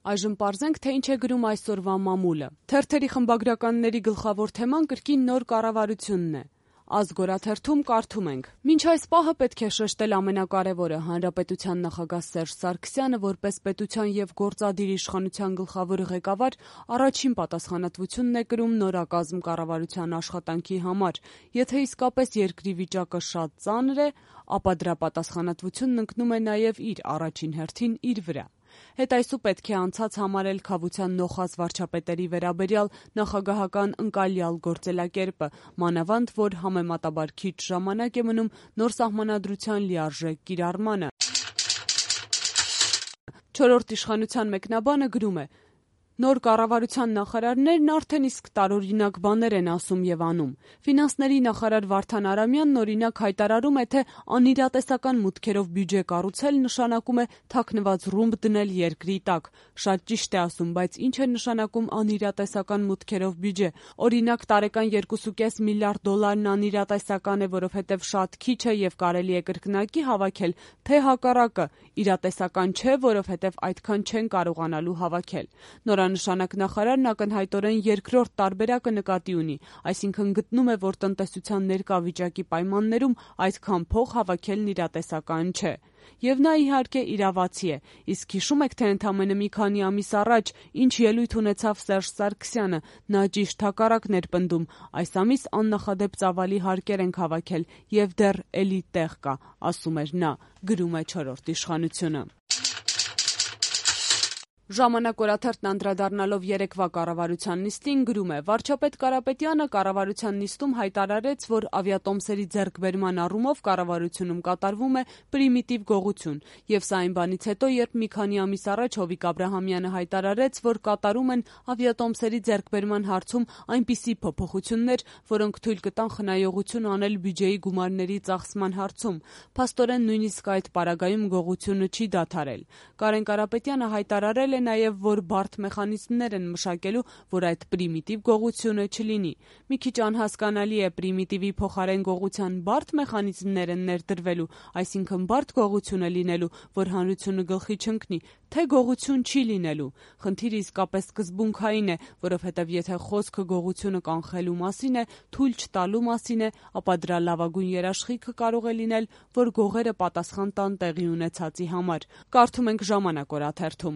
Այժմ պարզենք, թե ինչ է գրում այսօրվա մամուլը։ Թերթերի խմբագրականների գլխավոր թեման կրկին նոր կառավարությունն է։ Ազգ օրաթերթում կարդում ենք. «Մինչ այս պահը պետք է շեշտել ամենակարևորը՝ Հանրապետության նախագահ Սերժ Սարգսյանը որպես պետության եւ գործադիր իշխանության գլխավոր ղեկավար առաջին պատասխանատվությունն է կրում նորակազմ կառավարության աշխատանքի համար։ Եթե իսկապես երկրի վիճակը շատ ծանր է, ապա դրա պատասխանատվությունն ընկնում է նաեւ իր առաջին հերթին իր վրա։ Հետայսու պետք է անցած համարել քավության նոխազ վարչապետերի վերաբերյալ նախագահական ընկալյալ գործելակերպը, մանավանդ որ համեմատաբար քիչ ժամանակ է մնում նոր սահմանադրության լիարժեք կիրառմանը»։ Չորրորդ իշխանության մեկնաբանը գրում է. «Նոր կառավարության նախարարներն արդեն իսկ տարօրինակ բաներ են ասում եւ անում։ Ֆինանսների նախարար Վարդան Արամյանն օրինակ հայտարարում է, թե անիրատեսական մուտքերով բյուջե կառուցել նշանակում է թաքնված ռումբ դնել երկրի տակ։ Շատ ճիշտ է ասում, բայց ինչ է նշանակում անիրատեսական մուտքերով բյուջե։ Օրինակ տարեկան 2.5 միլիարդ դոլարն անիրատեսական է, որովհետեւ շատ քիչ է եւ կարելի է կրկնակի հավաքել, թե հակառակը իրատեսական չէ, որովհետեւ այդքան չեն կարողանալու հավաքել։ Նորանշանակ նախարարն ակնհայտորեն երկրորդ տարբերակը նկատի ունի, այսինքն գտնում է, որ տնտեսության ներկա վիճակի պայմաններում այդքան փող հավաքելն իրատեսական չէ։ Եվ նա իհարկե իրավացի է, իսկ հիշում եք, թե ընդամենը մի քանի ամիս առաջ ինչ ելույթ ունեցավ Սերժ Սարգսյանը, նա ճիշտ հակառակն էր պնդում, այս ամիս աննախադեպ ծավալի հարկեր ենք հավաքել եւ դեռ էլի տեղ կա, ասում էր նա, գրում է Չորրորդ իշխանությունը։ Ժամանակ օրաթերթն անդրադառնալով երեկվա կառավարության նիստին գրում է. «Վարչապետ Կարապետյանը կառավարության նիստում հայտարարեց, որ ավիատոմսերի ձեռքբերման առումով կառավարությունում կատարվում է պրիմիտիվ գողություն, եւ սա այն բանից հետո, երբ մի քանի ամիս առաջ Հովիկ Աբրահամյանը հայտարարեց, որ կատարում են ավիատոմսերի ձեռքբերման հարցում այնպիսի փոփոխություններ, որոնք թույլ կտան խնայողություն անել բյուջեի գումարների ծախսման հարցում։ Փաստորեն նույնիսկ այդ պարագայում գողությունը չի դադարել։ Կարեն Կարապետյանը հայտարարել է նաև, որ բարդ մեխանիզմներ են մշակելու, որ այդ պրիմիտիվ գողությունը չլինի։ Մի քիչ անհասկանալի է պրիմիտիվի փոխարեն գողության բարդ մեխանիզմներ են ներդրվելու, այսինքն բարդ գողությունը լինելու, որ հանրությունը գլխի չընկնի, թե գողություն չի լինելու։ Խնդիրը իսկապես սկզբունքային է, որովհետև եթե խոսքը գողությունը կանխելու մասին է, թույլ չտալու մասին է, ապա դրա լավագույն երաշխիքը կարող է լինել, որ գողերը պատասխան տան տեղի ունեցածի համար։ Կարդում ենք Ժամանակ օրաթերթում։